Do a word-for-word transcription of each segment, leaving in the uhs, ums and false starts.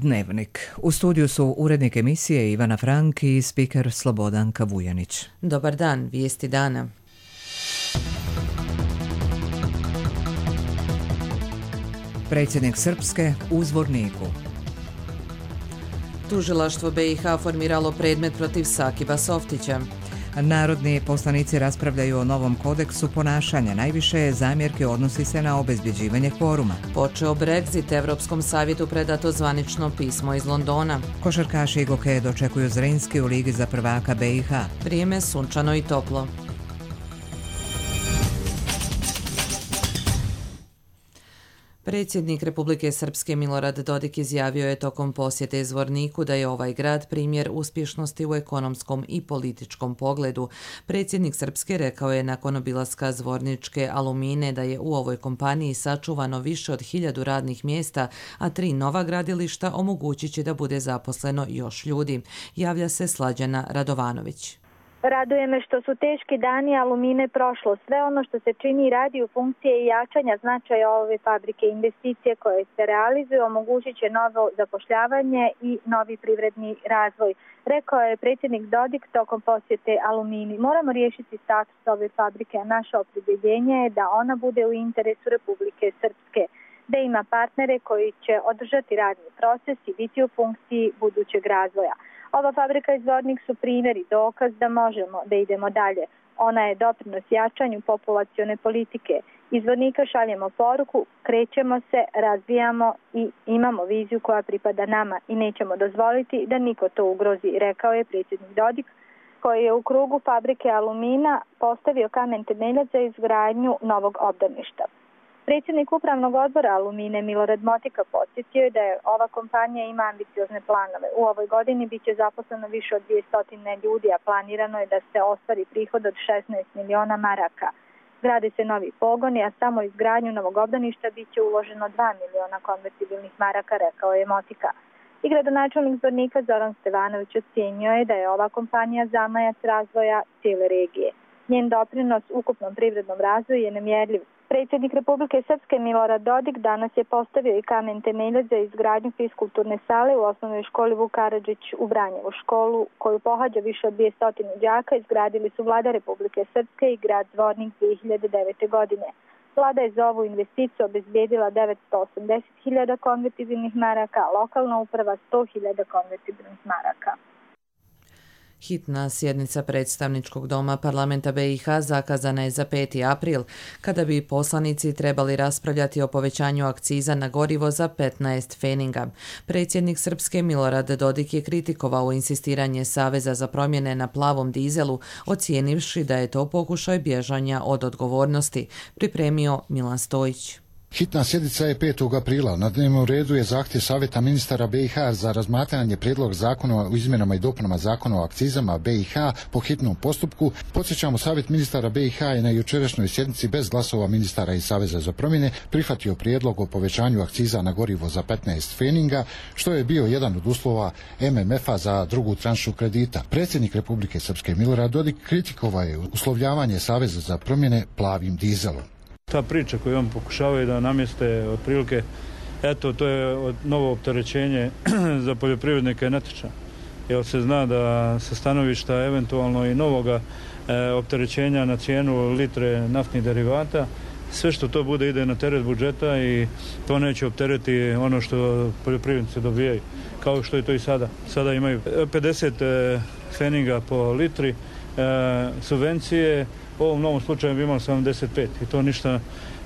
Dnevnik. U studiju su urednik emisije Ivana Frank i spiker Slobodanka Vujanić. Dobar dan, vijesti dana. Predsjednik Srpske u Zvorniku. Tužilaštvo B i H formiralo predmet protiv Sakiba Softića. Narodni poslanici raspravljaju o novom kodeksu ponašanja. Najviše zamjerke odnosi se na obezbjeđivanje kvoruma. Počeo Brexit, Evropskom savjetu predato zvanično pismo iz Londona. Košarkaši Goke dočekuju Zrinski u Ligi za prvaka B i H. Vrijeme sunčano i toplo. Predsjednik Republike Srpske Milorad Dodik izjavio je tokom posjete Zvorniku da je ovaj grad primjer uspješnosti u ekonomskom i političkom pogledu. Predsjednik Srpske rekao je nakon obilaska Zvorničke Alumine da je u ovoj kompaniji sačuvano više od hiljadu radnih mjesta, a tri nova gradilišta omogućit će da bude zaposleno još ljudi. Javlja se Slađana Radovanović. Raduje me što su teški dani Alumine prošlo. Sve ono što se čini i radi u funkcije i jačanja značaja ove fabrike, investicije koje se realizuju omogućit će novo zapošljavanje i novi privredni razvoj. Rekao je predsjednik Dodik tokom posjete Alumini. Moramo riješiti status ove fabrike, a naše opredjeljenje je da ona bude u interesu Republike Srpske, da ima partnere koji će održati radni proces i biti u funkciji budućeg razvoja. Ova fabrika i Zvornik su primjer i dokaz da možemo da idemo dalje. Ona je doprinos jačanju populacione politike. Iz Zvornika šaljemo poruku, krećemo se, razvijamo i imamo viziju koja pripada nama i nećemo dozvoliti da niko to ugrozi, rekao je predsjednik Dodik, koji je u krugu fabrike Alumina postavio kamen temeljac za izgradnju novog obdaništa. Predsjednik upravnog odbora Alumine Milorad Motika podsjetio je da je ova kompanija ima ambiciozne planove. U ovoj godini bit će zaposleno više od dvjesto ljudi, a planirano je da se ostvari prihod od šesnaest miliona maraka. Grade se novi pogoni, a samo izgradnju novog obdaništa bit će uloženo dva miliona konvertibilnih maraka, rekao je Motika. I gradonačelnik Zvornika Zoran Stevanović ocjenio je da je ova kompanija zamajac razvoja cijele regije. Njen doprinos ukupnom privrednom razvoju je nemjerljiv. Predsjednik Republike Srpske Milorad Dodik danas je postavio i kamen temeljac za izgradnju fiskulturne sale u osnovnoj školi Vuk Karadžić u Vranjevu. Školu koju pohađa više od dvjesto đaka izgradili su vlada Republike Srpske i grad Zvornik dvije hiljade devete. godine. Vlada je za ovu investiciju obezbijedila devetsto osamdeset hiljada konvertibilnih maraka, a lokalna uprava sto hiljada konvertibilnih maraka. Hitna sjednica predstavničkog doma parlamenta B i H zakazana je za peti april, kada bi poslanici trebali raspravljati o povećanju akciza na gorivo za petnaest feninga. Predsjednik Srpske Milorad Dodik je kritikovao insistiranje Saveza za promjene na plavom dizelu, ocijenivši da je to pokušaj bježanja od odgovornosti, pripremio Milan Stojić. Hitna sjednica je petog aprila. Na dnevnom redu je zahtjev Savjeta ministara B i H za razmatranje prijedlog zakona o izmjenama i dopunama zakona o akcizama B i H po hitnom postupku. Podsjećamo, Savjet ministara B i H je na jučerašnjoj sjednici bez glasova ministara i Saveza za promjene prihvatio prijedlog o povećanju akciza na gorivo za petnaest feninga, što je bio jedan od uslova M M F-a za drugu tranšu kredita. Predsjednik Republike Srpske Milorad Dodik kritikovao je uslovljavanje Saveza za promjene plavim dizelom. Ta priča koju on pokušavaju da namjeste otprilike, eto, to je novo opterećenje za poljoprivrednike je netočna. Jer se zna da sa stanovišta eventualno i novoga e, opterećenja na cijenu litre naftnih derivata, sve što to bude ide na teret budžeta i to neće optereti ono što poljoprivrednici dobijaju, kao što je to i sada. Sada imaju pedeset e, feninga po litri e, subvencije. U ovom novom slučaju bi imali sedamdeset pet i to ništa.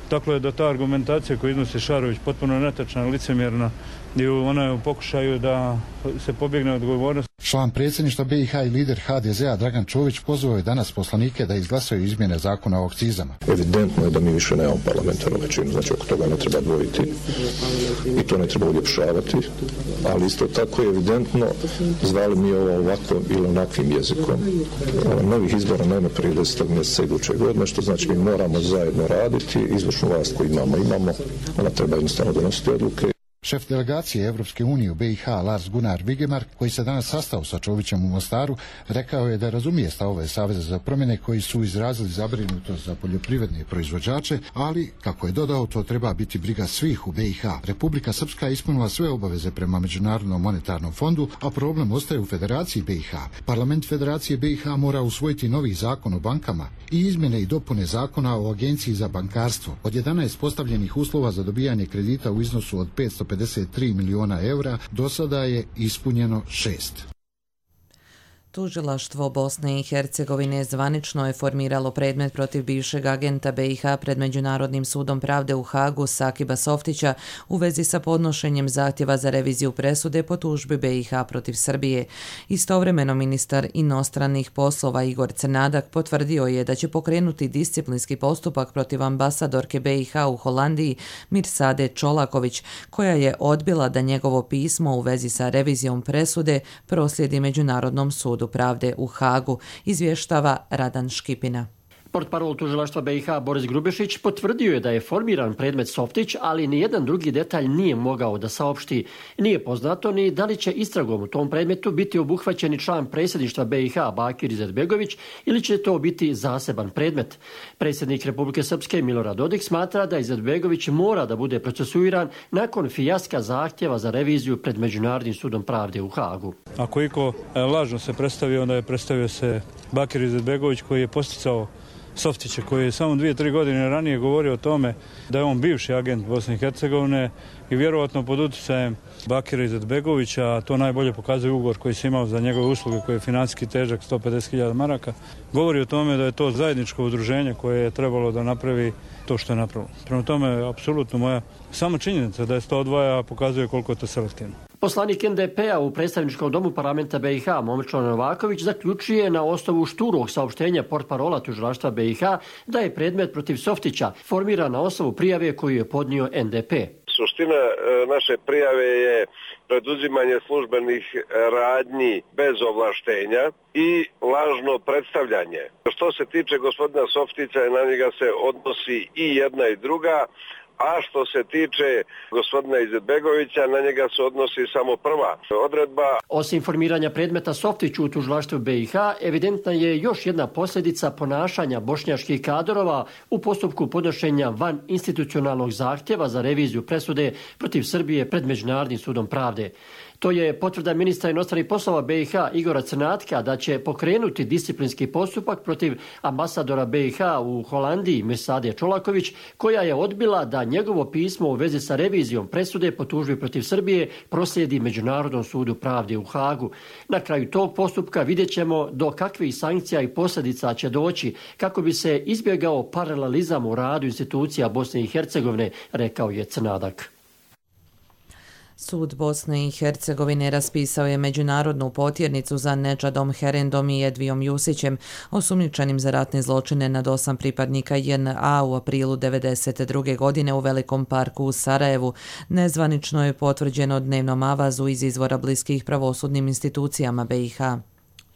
Tako je da ta argumentacija koju iznosi Šarović potpuno netačna, licemjerna i ona je u pokušaju da se pobjegne od odgovornosti. Član predsjedništva B i H i lider H D Z-a Dragan Čović pozvao je danas poslanike da izglasaju izmjene zakona o akcizama. Evidentno je da mi više nemamo parlamentarnu većinu, znači oko toga ne treba dvojiti i to ne treba uljepšavati, ali isto tako je evidentno, zvali mi ovo ovako ili onakvim jezikom. Novih izbora nema prije desetog mjeseca iduće godine, što znači mi moramo zajedno raditi, izvršnu vlast koju imamo, imamo, ona treba jednostavno donositi odluke. Šef delegacije Evropske unije u B i H Lars Gunnar Vigemark, koji se danas sastao sa Čovićem u Mostaru, rekao je da razumije stavove Saveza za promjene koji su izrazili zabrinutost za poljoprivredne proizvođače, ali, kako je dodao, to treba biti briga svih u B i H. Republika Srpska je ispunila sve obaveze prema Međunarodnom monetarnom fondu, a problem ostaje u Federaciji B i H. Parlament Federacije B i H mora usvojiti novi zakon o bankama i izmjene i dopune zakona o Agenciji za bankarstvo. Od jedanaest postavljenih uslova za dobijanje kredita u iznosu od petsto pedeset tri miliona eura, do sada je ispunjeno šest. Tužilaštvo Bosne i Hercegovine zvanično je formiralo predmet protiv bivšeg agenta B i H pred Međunarodnim sudom pravde u Hagu Sakiba Softića u vezi sa podnošenjem zahtjeva za reviziju presude po tužbi B i H protiv Srbije. Istovremeno ministar inostranih poslova Igor Crnadak potvrdio je da će pokrenuti disciplinski postupak protiv ambasadorke B i H u Holandiji Mirsade Čolaković, koja je odbila da njegovo pismo u vezi sa revizijom presude proslijedi Međunarodnom sudu pravde u Hagu, izvještava Radan Škipina. Portparol tužilaštva B i H Boris Grubešić potvrdio je da je formiran predmet Softić, ali nijedan drugi detalj nije mogao da saopšti. Nije poznato ni da li će istragom u tom predmetu biti obuhvaćeni član predsjedništva B i H Bakir Izetbegović ili će to biti zaseban predmet. Predsjednik Republike Srpske Milorad Dodik smatra da Izetbegović mora da bude procesuiran nakon fijaska zahtjeva za reviziju pred Međunarodnim sudom pravde u Hagu. Ako iko lažno se predstavio, onda je predstavio se Bakir Izetbegović, koji je posticao Softića, koji je samo dvije, tri godine ranije govorio o tome da je on bivši agent Bosne i Hercegovine i vjerovatno pod utjecajem Bakira Izetbegovića, a to najbolje pokazuje ugovor koji se imao za njegove usluge, koji je financijski težak sto pedeset hiljada maraka, govori o tome da je to zajedničko udruženje koje je trebalo da napravi to što je napravilo. Prema tome, apsolutno moja samo činjenica da je to odvaja pokazuje koliko je to selektivno. Poslanik N D P-a u predstavničkom domu parlamenta B i H Momčilo Novaković zaključuje na osnovu šturog saopštenja portparola tužilaštva B i H da je predmet protiv Softića formiran na osnovu prijave koju je podnio N D P. Suština naše prijave je preduzimanje službenih radnji bez ovlaštenja i lažno predstavljanje. Što se tiče gospodina Softića, na njega se odnosi i jedna i druga, a što se tiče gospodina Izetbegovića, na njega se odnosi samo prva odredba. Osim formiranja predmeta Softiću u tužilaštvu B i H, evidentna je još jedna posljedica ponašanja bošnjaških kadrova u postupku podnošenja van institucionalnog zahtjeva za reviziju presude protiv Srbije pred Međunarodnim sudom pravde. To je potvrda ministra inostranih poslova B i H Igora Crnatka da će pokrenuti disciplinski postupak protiv ambasadora B i H u Holandiji Mirsade Čolaković, koja je odbila da njegovo pismo u vezi sa revizijom presude po tužbi protiv Srbije proslijedi Međunarodnom sudu pravde u Hagu. Na kraju tog postupka vidjet ćemo do kakvih sankcija i posljedica će doći kako bi se izbjegao paralelizam u radu institucija Bosne i Hercegovine, rekao je Crnadak. Sud Bosne i Hercegovine raspisao je međunarodnu potjernicu za Nedžadom Herendom i Edvijom Jusićem, osumnjičenim za ratne zločine nad osam pripadnika J N A u aprilu devedeset druge godine u Velikom parku u Sarajevu. Nezvanično je potvrđeno dnevnom avazu iz izvora bliskih pravosudnim institucijama B i H.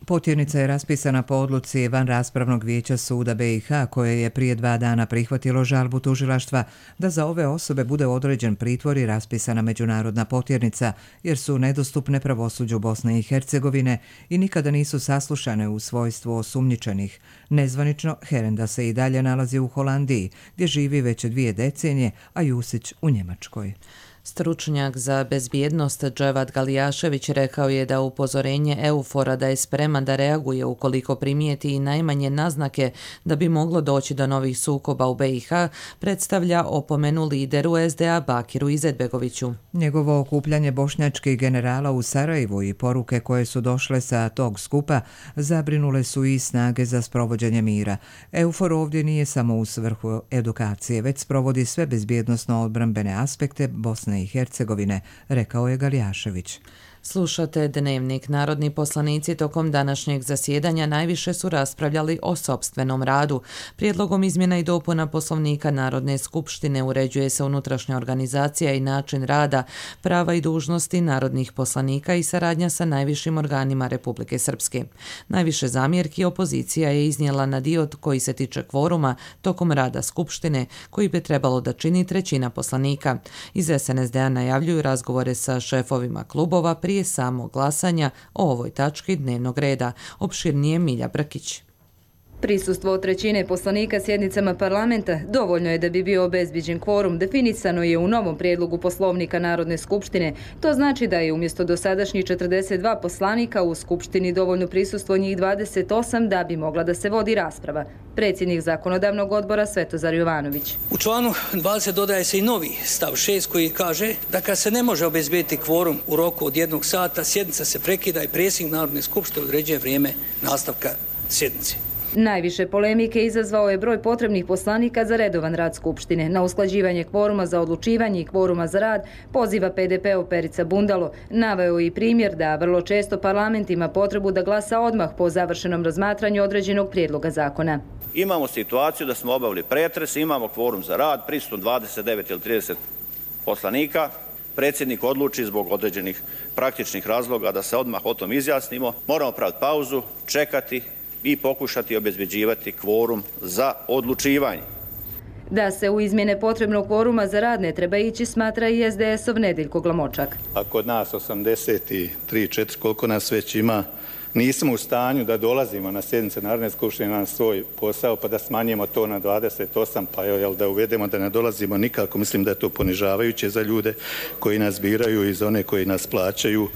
Potjernica je raspisana po odluci vanraspravnog vijeća suda B i H, koje je prije dva dana prihvatilo žalbu tužilaštva da za ove osobe bude određen pritvor i raspisana međunarodna potjernica, jer su nedostupne pravosuđu Bosne i Hercegovine i nikada nisu saslušane u svojstvu osumnjičenih. Nezvanično, Herenda se i dalje nalazi u Holandiji, gdje živi već dvije decenije, a Jusić u Njemačkoj. Stručnjak za bezbjednost Dževad Galijašević rekao je da upozorenje Eufora da je spreman da reaguje ukoliko primijeti i najmanje naznake da bi moglo doći do novih sukoba u B i H predstavlja opomenu lideru S D A Bakiru Izetbegoviću. Njegovo okupljanje bošnjačkih generala u Sarajevu i poruke koje su došle sa tog skupa zabrinule su i snage za sprovođenje mira. Eufor ovdje nije samo u svrhu edukacije, već sprovodi sve bezbjednosno odbrambene aspekte Bosne i Hercegovine, rekao je Galijašević. Slušate Dnevnik. Narodni poslanici tokom današnjeg zasjedanja najviše su raspravljali o sopstvenom radu. Prijedlogom izmjena i dopuna Poslovnika Narodne skupštine uređuje se unutrašnja organizacija i način rada, prava i dužnosti narodnih poslanika i saradnja sa najvišim organima Republike Srpske. Najviše zamjerki opozicija je iznijela na dio koji se tiče kvoruma tokom rada Skupštine, koji bi trebalo da čini trećina poslanika. Iz es en es de a najavljuju razgovore sa šefovima klubova prije samog glasanja o ovoj tački dnevnog reda. Opširnije Milja Brkić. Prisustvo od trećine poslanika sjednicama parlamenta dovoljno je da bi bio obezbiđen kvorum, definisano je u novom prijedlogu Poslovnika Narodne skupštine. To znači da je umjesto dosadašnjih četrdeset dva poslanika u skupštini dovoljno prisustvo njih dvadeset osam da bi mogla da se vodi rasprava. Predsjednik zakonodavnog odbora Svetozar Jovanović. U članu dvadeset dodaje se i novi stav šest koji kaže da kad se ne može obezbediti kvorum u roku od jednog sata, sjednica se prekida i predsjednik Narodne skupštine određuje vrijeme nastavka sjednice. Najviše polemike izazvao je broj potrebnih poslanika za redovan rad Skupštine. Na usklađivanje kvoruma za odlučivanje i kvoruma za rad poziva pe de pe-ov Perica Bundalo. Naveo i primjer da vrlo često parlament ima potrebu da glasa odmah po završenom razmatranju određenog prijedloga zakona. Imamo situaciju da smo obavili pretres, imamo kvorum za rad, prisutno dvadeset devet ili trideset poslanika. Predsjednik odluči zbog određenih praktičnih razloga da se odmah o tom izjasnimo. Moramo praviti pauzu, čekati i pokušati obezbeđivati kvorum za odlučivanje. Da se u izmjene potrebnog kvoruma za rad ne treba ići, smatra i es de es-ov Nedeljko Glamočak. A kod nas osamdeset tri četiri, koliko nas već ima, nismo u stanju da dolazimo na sjednice Narodne skupštine na svoj posao, pa da smanjimo to na dvadeset osam, pa jel, da uvedemo da ne dolazimo nikako. Mislim da je to ponižavajuće za ljude koji nas biraju i za one koji nas plaćaju.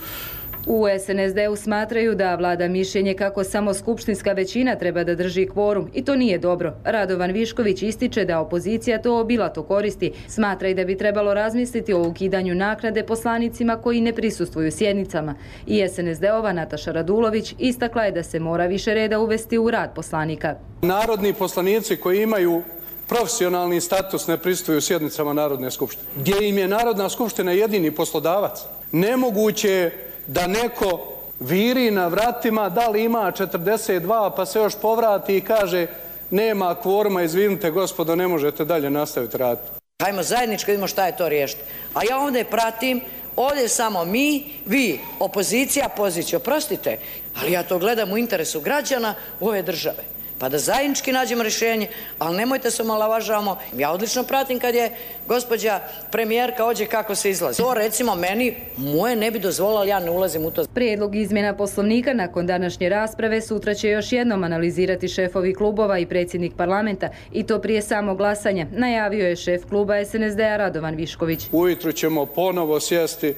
U es en es de-u smatraju da vlada mišljenje kako samo skupštinska većina treba da drži kvorum i to nije dobro. Radovan Višković ističe da opozicija to obilato koristi. Smatra i da bi trebalo razmisliti o ukidanju naknade poslanicima koji ne prisustvuju sjednicama. I es en es de-ova Nataša Radulović istakla je da se mora više reda uvesti u rad poslanika. Narodni poslanici koji imaju profesionalni status ne prisustvuju sjednicama Narodne skupštine, gdje im je Narodna skupština jedini poslodavac. Nemoguće je da neko viri na vratima, da li ima četrdeset dva, pa se još povrati i kaže nema kvoruma, izvinite gospodo, ne možete dalje nastaviti raditi. Hajmo zajednički vidimo šta je to riješiti. A ja ovdje pratim, ovdje samo mi, vi, opozicija, pozicija, oprostite, ali ja to gledam u interesu građana ove države. Pa da zajednički nađemo rješenje, ali nemojte se omalovažavamo. Ja odlično pratim kad je gospođa premijerka ođe kako se izlazi. To recimo meni, moje ne bi dozvolilo, ali ja ne ulazim u to. Prijedlog izmjena Poslovnika nakon današnje rasprave sutra će još jednom analizirati šefovi klubova i predsjednik parlamenta i to prije samog glasanja, najavio je šef kluba es en es de-a Radovan Višković. Ujutro ćemo ponovo sjesti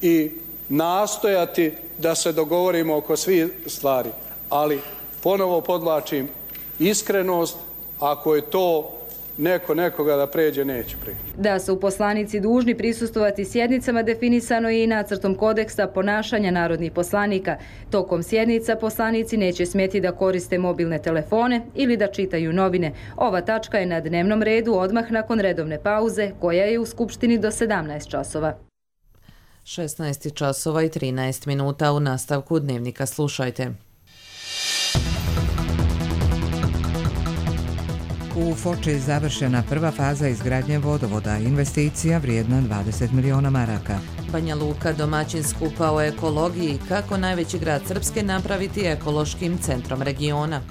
i nastojati da se dogovorimo oko svih stvari, ali ponovo podvlačim, iskrenost, ako je to neko nekoga da pređe, neće pređe. Da su poslanici dužni prisustvovati sjednicama definisano je i nacrtom kodeksa ponašanja narodnih poslanika. Tokom sjednica poslanici neće smjeti da koriste mobilne telefone ili da čitaju novine. Ova tačka je na dnevnom redu odmah nakon redovne pauze koja je u Skupštini do sedamnaest časova. šesnaest časova i trinaest minuta. U nastavku Dnevnika slušajte. U Foči je završena prva faza izgradnje vodovoda, investicija vrijedna dvadeset miliona maraka. Banja Luka domaćin skupa o ekologiji, kako najveći grad Srpske napraviti ekološkim centrom regiona.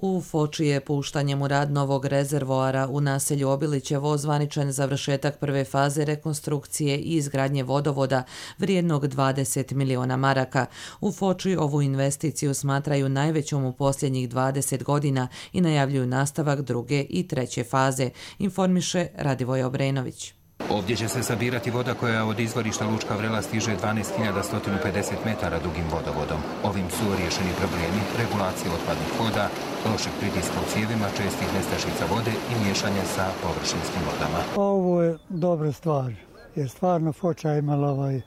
U Foči je puštanjem u rad novog rezervoara u naselju Obilićevo ozvaničen završetak prve faze rekonstrukcije i izgradnje vodovoda vrijednog dvadeset miliona maraka. U Foči ovu investiciju smatraju najvećom u posljednjih dvadeset godina i najavljuju nastavak druge i treće faze, informiše Radivoj Obrenović. Ovdje će se sabirati voda koja od izvorišta Lučka Vrela stiže dvanaest hiljada sto pedeset metara dugim vodovodom. Ovim su riješeni problemi regulacije otpadnih voda, lošeg pritiska u cijevima, čestih nestašica vode i miješanja sa površinskim vodama. Ovo je dobra stvar, jer stvarno Foča je imala ovaj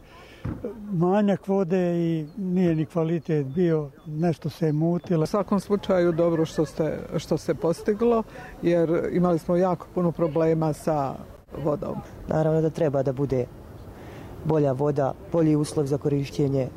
manjak vode i nije ni kvalitet bio, nešto se je mutilo. U svakom slučaju dobro što, ste, što se postiglo, jer imali smo jako puno problema sa vodom. Naravno da treba da bude bolja voda, bolji uslov za korištenje.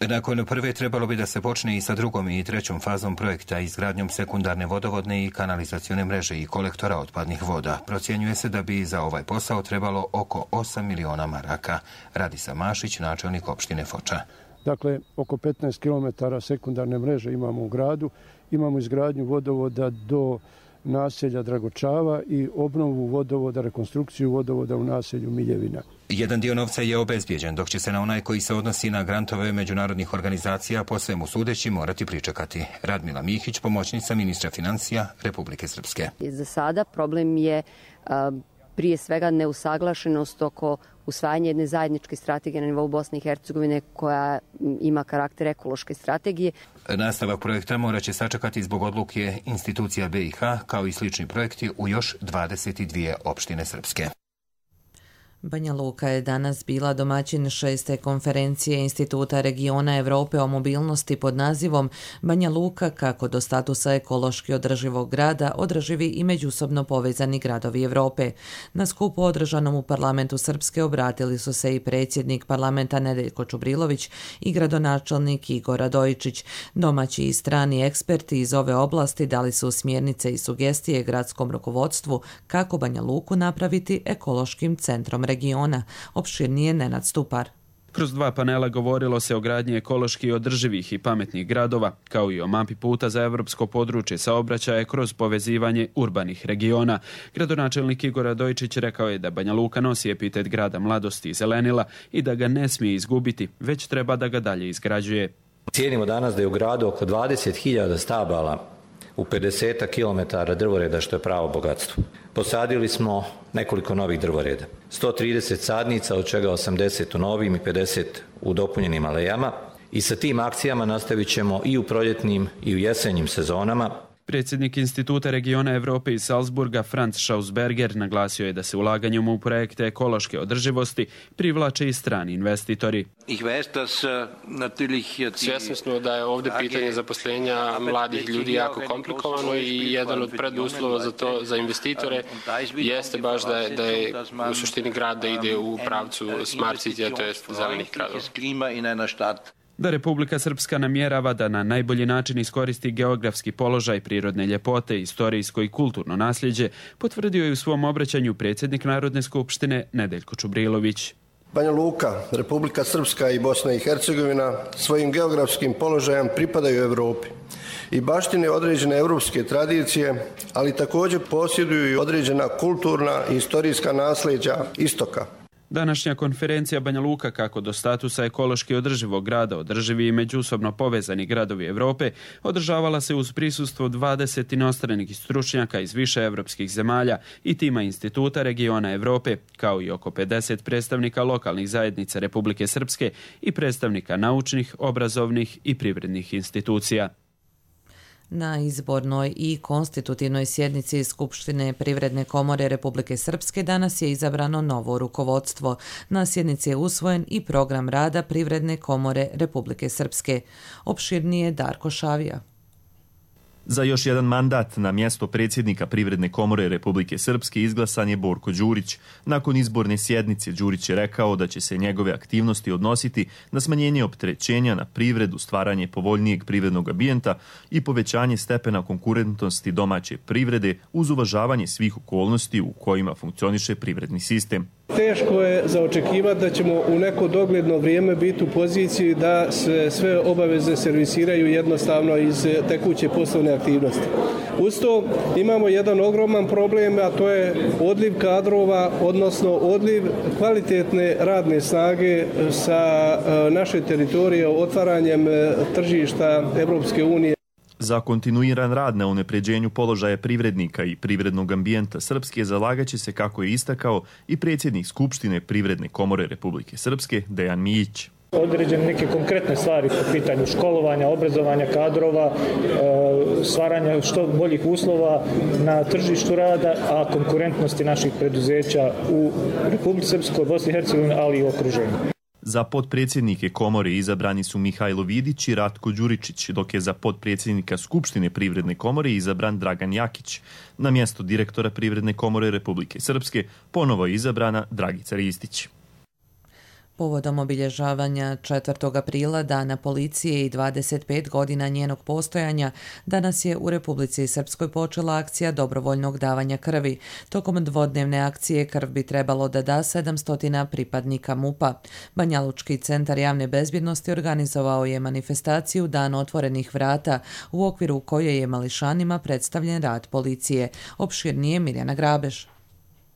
Nakon prve trebalo bi da se počne i sa drugom i trećom fazom projekta izgradnjom sekundarne vodovodne i kanalizacione mreže i kolektora otpadnih voda. Procjenjuje se da bi za ovaj posao trebalo oko osam miliona maraka. Radisa Mašić, načelnik opštine Foča. Dakle, oko petnaest kilometara sekundarne mreže imamo u gradu. Imamo izgradnju vodovoda do naselja Dragočava i obnovu vodovoda, rekonstrukciju vodovoda u naselju Miljevina. Jedan dio novca je obezbijeđen, dok će se na onaj koji se odnosi na grantove međunarodnih organizacija po svemu sudeći morati pričekati. Radmila Mihić, pomoćnica ministra financija Republike Srpske. Za sada problem je a, prije svega neusaglašenost oko usvajanja jedne zajedničke strategije na nivou Bosne i Hercegovine koja ima karakter ekološke strategije. Nastavak projekta morat će sačekati zbog odluke institucija B i H, kao i slični projekti u još dvadeset dvije opštine Srpske. Banja Luka je danas bila domaćin šeste konferencije Instituta regiona Evrope o mobilnosti pod nazivom Banja Luka kako do statusa ekološki održivog grada održivi i međusobno povezani gradovi Evrope. Na skupu održanom u parlamentu Srpske obratili su se i predsjednik parlamenta Nedeljko Čubrilović i gradonačelnik Igor Radojičić. Domaći i strani eksperti iz ove oblasti dali su smjernice i sugestije gradskom rukovodstvu kako Banja Luku napraviti ekološkim centrom regiona. Opširnije Nenad Stupar. Kroz dva panela govorilo se o gradnji ekološki održivih i pametnih gradova, kao i o mapi puta za evropsko područje saobraćaja kroz povezivanje urbanih regiona. Gradonačelnik Igor Radojičić rekao je da Banja Luka nosi epitet grada mladosti i zelenila i da ga ne smije izgubiti, već treba da ga dalje izgrađuje. Cijenimo danas da je u gradu oko dvadeset hiljada stabala u pedeset kilometara drvoreda, što je pravo bogatstvo. Posadili smo nekoliko novih drvoreda. sto trideset sadnica, od čega osamdeset u novim i pedeset u dopunjenim alejama. I sa tim akcijama nastavit ćemo i u proljetnim i u jesenjim sezonama. Predsjednik Instituta regiona Evrope iz Salzburga, Franz Schausberger, naglasio je da se ulaganjem u projekte ekološke održivosti privlače i strani investitori. Svjesni smo da je ovdje pitanje zaposlenja mladih ljudi jako komplikovano i jedan od preduslova za to, za investitore, jeste baš da je, da je u suštini grad da ide u pravcu smart city, to jest zelenih gradova. Da Republika Srpska namjerava da na najbolji način iskoristi geografski položaj, prirodne ljepote, istorijsko i kulturno nasljeđe, potvrdio je u svom obraćanju predsjednik Narodne skupštine Nedeljko Čubrilović. Banja Luka, Republika Srpska i Bosna i Hercegovina svojim geografskim položajem pripadaju Evropi i baštine određene evropske tradicije, ali također posjeduju i određena kulturna i istorijska nasljeđa istoka. Današnja konferencija Banja Luka kako do statusa ekološki održivog grada održivi i međusobno povezani gradovi Evrope održavala se uz prisustvo dvadeset inostranih stručnjaka iz više evropskih zemalja i tima Instituta regiona Evrope, kao i oko pedeset predstavnika lokalnih zajednica Republike Srpske i predstavnika naučnih, obrazovnih i privrednih institucija. Na izbornoj i konstitutivnoj sjednici Skupštine Privredne komore Republike Srpske danas je izabrano novo rukovodstvo. Na sjednici je usvojen i program rada Privredne komore Republike Srpske. Opširnije Darko Šavija. Za još jedan mandat na mjesto predsjednika Privredne komore Republike Srpske izglasan je Borko Đurić. Nakon izborne sjednice Đurić je rekao da će se njegove aktivnosti odnositi na smanjenje opterećenja na privredu, stvaranje povoljnijeg privrednog ambijenta i povećanje stepena konkurentnosti domaće privrede uz uvažavanje svih okolnosti u kojima funkcioniše privredni sistem. Teško je za očekivati da ćemo u neko dogledno vrijeme biti u poziciji da se sve obaveze servisiraju jednostavno iz tekuće poslovne aktivnosti. Uz to imamo jedan ogroman problem, a to je odliv kadrova, odnosno odliv kvalitetne radne snage sa naše teritorije otvaranjem tržišta Evropske unije. Za kontinuiran rad na unapređenju položaja privrednika i privrednog ambijenta Srpske zalagaće se, kako je istakao, i predsjednik Skupštine Privredne komore Republike Srpske Dejan Mijić. Određene neke konkretne stvari po pitanju školovanja, obrazovanja kadrova, stvaranja što boljih uslova na tržištu rada, a konkurentnosti naših preduzeća u Republici Srpskoj, Bosni i Hercegovini, ali i u okruženju. Za potpredsjednike komore izabrani su Mihajlo Vidić i Ratko Đuričić, dok je za potpredsjednika Skupštine Privredne komore izabran Dragan Jakić. Na mjesto direktora Privredne komore Republike Srpske ponovo je izabrana Dragica Ristić. Povodom obilježavanja četvrtog aprila, Dana policije i dvadeset pet godina njenog postojanja, danas je u Republici Srpskoj počela akcija dobrovoljnog davanja krvi. Tokom dvodnevne akcije krv bi trebalo da da sedamsto pripadnika MUP-a. Banjalučki centar javne bezbjednosti organizovao je manifestaciju Dan otvorenih vrata, u okviru koje je mališanima predstavljen rad policije. Opširnije Mirjana Grabež.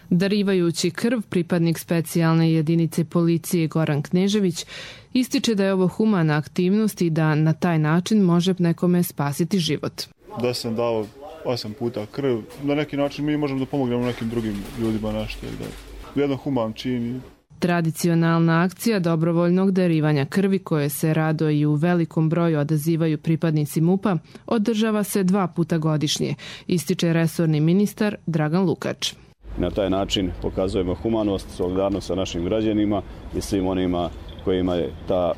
Darivajući krv, pripadnik specijalne jedinice policije Goran Knežević ističe da je ovo humana aktivnost i da na taj način može nekome spasiti život. Da sam dao osam puta krv, na neki način mi možemo da pomognemo nekim drugim ljudima nešto. Da jedan human čin. Tradicionalna akcija dobrovoljnog darivanja krvi, koje se rado i u velikom broju odazivaju pripadnici MUP-a, održava se dva puta godišnje, ističe resorni ministar Dragan Lukač. Na taj način pokazujemo humanost, solidarnost sa našim građanima i svim onima kojima je ta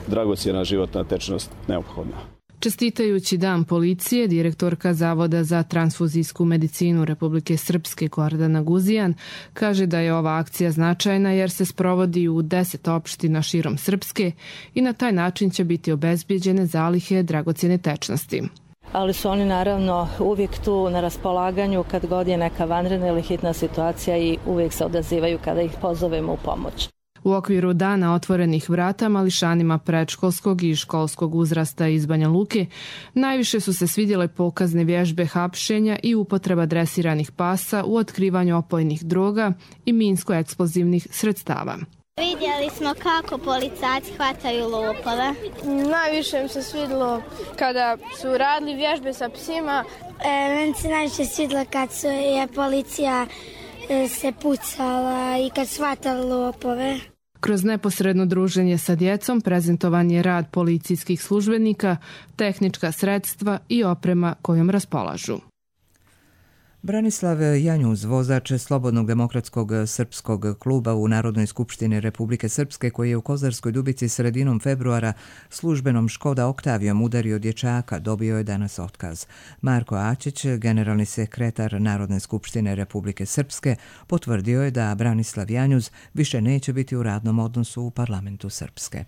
dragocjena životna tečnost neophodna. Čestitajući Dan policije, direktorka Zavoda za transfuzijsku medicinu Republike Srpske Gordana Guzijan kaže da je ova akcija značajna jer se sprovodi u deset opština širom Srpske i na taj način će biti obezbijeđene zalihe dragocjene tečnosti. Ali su oni naravno uvijek tu na raspolaganju kad god je neka vanredna ili hitna situacija i uvijek se odazivaju kada ih pozovemo u pomoć. U okviru Dana otvorenih vrata mališanima predškolskog i školskog uzrasta iz Banja Luke najviše su se svidjele pokazne vježbe hapšenja i upotreba dresiranih pasa u otkrivanju opojnih droga i minsko-eksplozivnih sredstava. Vidjeli smo kako policajci hvataju lopove. Najviše mi se svidjelo kada su radili vježbe sa psima. E, meni se najviše svidjelo kad su, je policija e, se pucala i kad su hvatali lopove. Kroz neposredno druženje sa djecom prezentovan je rad policijskih službenika, tehnička sredstva i oprema kojom raspolažu. Branislav Janjuz, vozač Slobodnog demokratskog srpskog kluba u Narodnoj skupštini Republike Srpske, koji je u Kozarskoj Dubici sredinom februara službenom Škoda Oktavijom udario dječaka, dobio je danas otkaz. Marko Ačić, generalni sekretar Narodne skupštine Republike Srpske, potvrdio je da Branislav Janjuz više neće biti u radnom odnosu u parlamentu Srpske.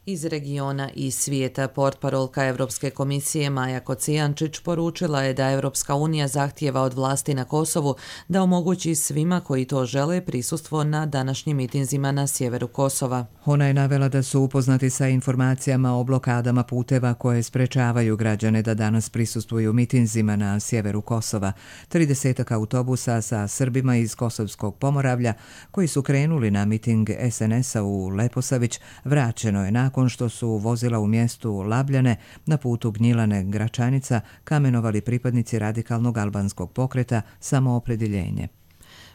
Iz regiona i svijeta portparolka Evropske komisije Maja Kocijančić poručila je da Evropska unija zahtijeva od vlasti na Kosovu da omogući svima koji to žele prisustvo na današnjim mitinzima na sjeveru Kosova. Ona je navela da su upoznati sa informacijama o blokadama puteva koje sprečavaju građane da danas prisustvuju mitinzima na sjeveru Kosova. tridesetak autobusa sa Srbima iz Kosovskog Pomoravlja koji su krenuli na miting es en es a u Leposavić vraćeno je nakon što su vozila u mjestu Labljane na putu Gnjilane-Gračanica kamenovali pripadnici radikalnog albanskog pokreta Samoopredjeljenje.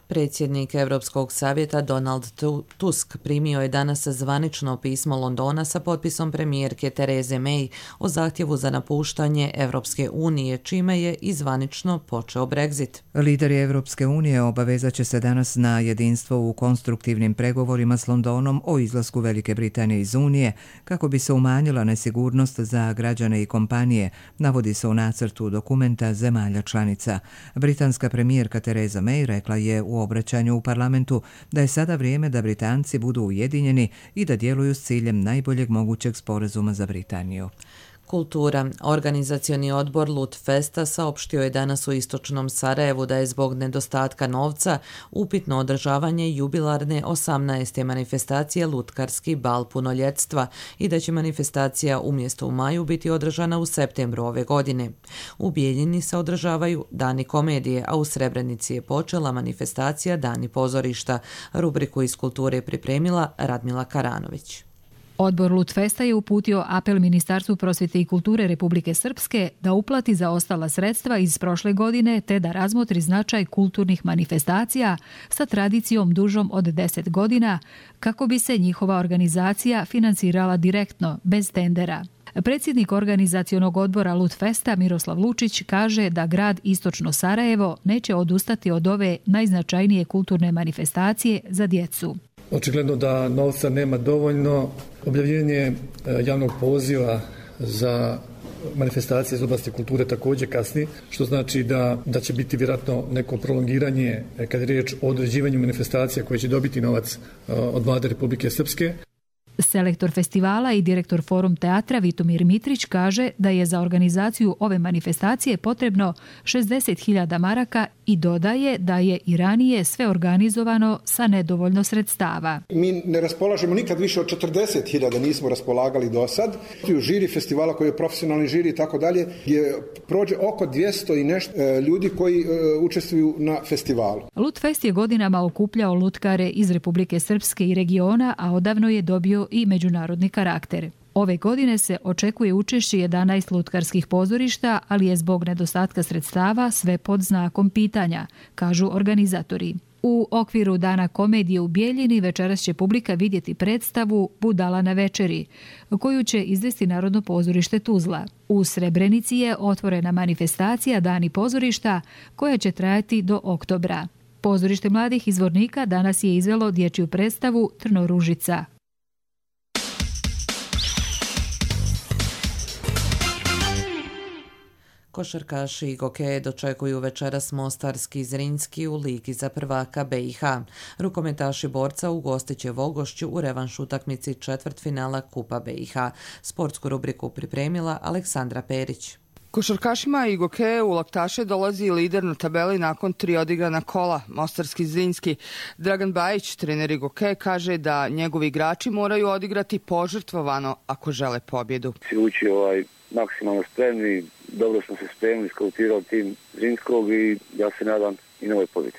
Predsjednik Europskog savjeta Donald Tusk primio je danas zvanično pismo Londona sa potpisom premijerke Therese May o zahtjevu za napuštanje Europske unije, čime je i zvanično počeo Brexit. Lideri Europske unije obavezat će se danas na jedinstvo u konstruktivnim pregovorima s Londonom o izlasku Velike Britanije iz Unije, kako bi se umanjila nesigurnost za građane i kompanije, navodi se u nacrtu dokumenta zemalja članica. Britanska premijerka Theresa May rekla je u u obraćanju u parlamentu da je sada vrijeme da Britanci budu ujedinjeni i da djeluju s ciljem najboljeg mogućeg sporazuma za Britaniju. Kultura. Organizacioni odbor Lutfesta saopštio je danas u istočnom Sarajevu da je zbog nedostatka novca upitno održavanje jubilarne osamnaeste manifestacije Lutkarski bal punoljetstva i da će manifestacija umjesto u maju biti održana u septembru ove godine. U Bijeljini se održavaju Dani komedije, a u Srebrenici je počela manifestacija Dani pozorišta. Rubriku iz kulture pripremila Radmila Karanović. Odbor Lutfesta je uputio apel Ministarstvu prosvjete i kulture Republike Srpske da uplati zaostala sredstva iz prošle godine te da razmotri značaj kulturnih manifestacija sa tradicijom dužom od deset godina kako bi se njihova organizacija financirala direktno, bez tendera. Predsjednik organizacionog odbora Lutfesta Miroslav Lučić kaže da grad Istočno Sarajevo neće odustati od ove najznačajnije kulturne manifestacije za djecu. Očigledno da novca nema dovoljno. Objavljenje javnog poziva za manifestacija iz oblasti kulture također kasni, što znači da, da će biti vjerojatno neko prolongiranje kad je riječ o određivanju manifestacija koje će dobiti novac od Vlade Republike Srpske. Selektor festivala i direktor Forum teatra Vitomir Mitrić kaže da je za organizaciju ove manifestacije potrebno šezdeset hiljada maraka i dodaje da je i ranije sve organizovano sa nedovoljno sredstava. Mi ne raspolažemo nikad više od četrdeset hiljada, nismo raspolagali do sad. U žiri festivala koji je profesionalni žiri i tako dalje je prođe oko dvjesto i nešto ljudi koji e, učestvuju na festivalu. Lutfest je godinama okupljao lutkare iz Republike Srpske i regiona, a odavno je dobio i međunarodni karakter. Ove godine se očekuje učešće jedanaest lutkarskih pozorišta, ali je zbog nedostatka sredstava sve pod znakom pitanja, kažu organizatori. U okviru Dana komedije u Bijeljini večeras će publika vidjeti predstavu Budala na večeri, koju će izvesti Narodno pozorište Tuzla. U Srebrenici je otvorena manifestacija Dani pozorišta koja će trajati do oktobra. Pozorište mladih izvornika danas je izvelo dječju predstavu Trnoružica. Košarkaši i gokeje dočekuju večeras Mostarski Zrinski u Ligi za prvaka B i H. Rukometaši Borca ugostit će Vogošću u revanš utakmici četvrtfinala Kupa B i H. Sportsku rubriku pripremila Aleksandra Perić. Košarkašima i gokeje u Laktaše dolazi lider na tabeli nakon tri odigrana kola, Mostarski Zrinski. Dragan Bajić, trener i gokeje, kaže da njegovi igrači moraju odigrati požrtvovano ako žele pobjedu. Ući ovaj maksimalno spremni, dobro smo se spremili, skautirali tim Zrinskog i ja se nadam i novoj pobjedi.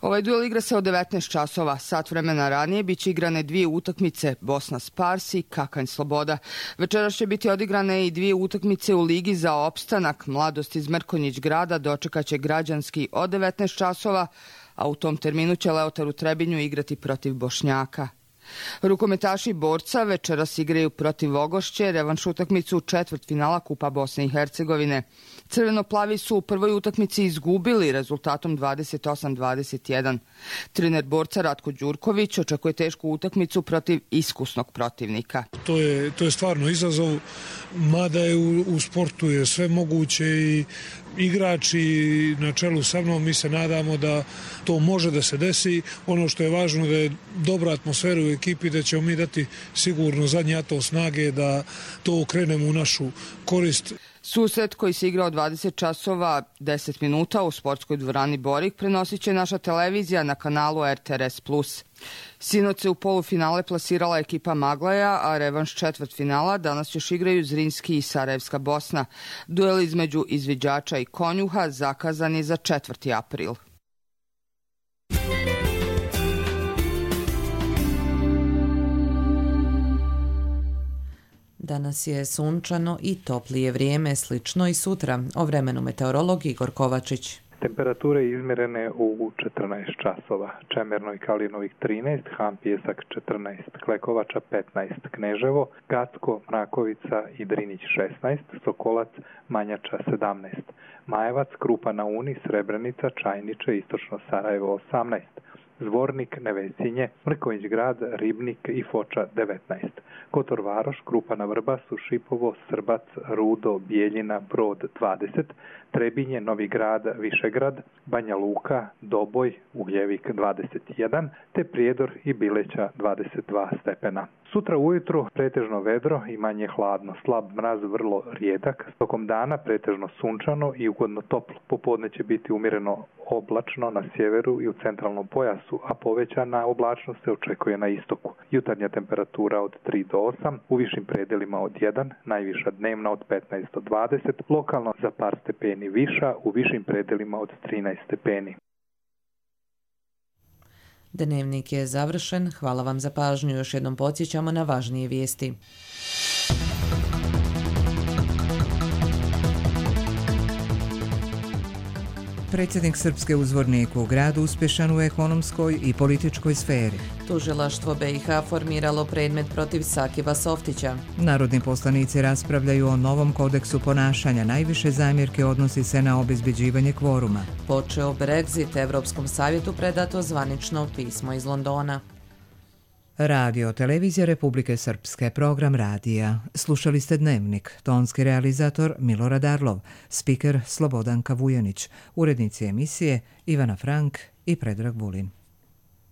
Ovaj duel igra se od devetnaest časova. Sat vremena ranije biće igrane dvije utakmice, Bosna Spars i Kakanj Sloboda. Večeras će biti odigrane i dvije utakmice u Ligi za opstanak. Mladost iz Mrkonjić grada dočekaće Građanski od devetnaest časova, a u tom terminu će Leotar u Trebinju igrati protiv Bošnjaka. Rukometaši Borca večeras igraju protiv Vogošće, revanš utakmicu četvrtfinala Kupa Bosne i Hercegovine. Crveno-plavi su u prvoj utakmici izgubili rezultatom dvadeset osam dvadeset jedan. Trener Borca Ratko Đurković očekuje tešku utakmicu protiv iskusnog protivnika. To je, to je stvarno izazov, mada je u, u sportu je sve moguće i igrači na čelu sa mnom, mi se nadamo da to može da se desi. Ono što je važno da je dobra atmosfera u ekipi, da ćemo mi dati sigurno zadnji atom snage da to okrenemo u našu korist. Susret koji se igra od dvadeset časova deset minuta u sportskoj dvorani Borik prenosit će naša televizija na kanalu R T R S plus. Sinoć se u polufinale plasirala ekipa Maglaja, a revanš četvrtfinala danas još igraju Zrinski i Sarajevska Bosna. Duel između izviđača i konjuha zakazan je za četvrti april. Danas je sunčano i toplije vrijeme, slično i sutra. O vremenu meteorolog Igor Kovačić. Temperature izmjerene u četrnaest časova. Čemerno i Kalinovik trinaest, Han Pjesak četrnaest, Klekovača petnaest, Kneževo, Gacko, Mrakovica i Drinić šesnaest, Sokolac, Manjača sedamnaest, Majevac, Krupa na Uni, Srebrenica, Čajniče, Istočno Sarajevo osamnaest, Zvornik, Nevesinje, Mrkonjić grad, Ribnik i Foča devetnaest. Kotor Varoš, Krupa na Vrbasu, Šipovo, Srbac, Rudo, Bijeljina, Brod dvadeset, Trebinje, Novi grad, Višegrad, Banja Luka, Doboj, Ugljevik dvadeset jedan, te Prijedor i Bileća dvadeset dva stepena. Sutra ujutru pretežno vedro i manje hladno, slab mraz vrlo rijedak, tokom dana pretežno sunčano i ugodno toplo. Popodne će biti umjereno oblačno na sjeveru i u centralnom pojasu, a povećana oblačnost se očekuje na istoku. Jutarnja temperatura od tri do osam, u višim predelima od jedan, najviša dnevna od petnaest do dvadeset, lokalno za par stepeni viša, u višim predelima od trinaest stepeni. Dnevnik je završen. Hvala vam za pažnju. Još jednom podsjećamo na važnije vijesti. Predsjednik Srpske uzvornik u gradu uspješan u ekonomskoj i političkoj sferi. Tužilaštvo B i H formiralo predmet protiv Sakiva Softića. Narodni poslanici raspravljaju o novom kodeksu ponašanja. Najviše zamjerke odnosi se na obezbeđivanje kvoruma. Počeo Brexit, Evropskom savjetu predato zvanično pismo iz Londona. Radio Televizija Republike Srpske, program radija. Slušali ste Dnevnik, tonski realizator Milorad Arlov, spiker Slobodanka Vujanić, urednici emisije Ivana Frank i Predrag Vulin.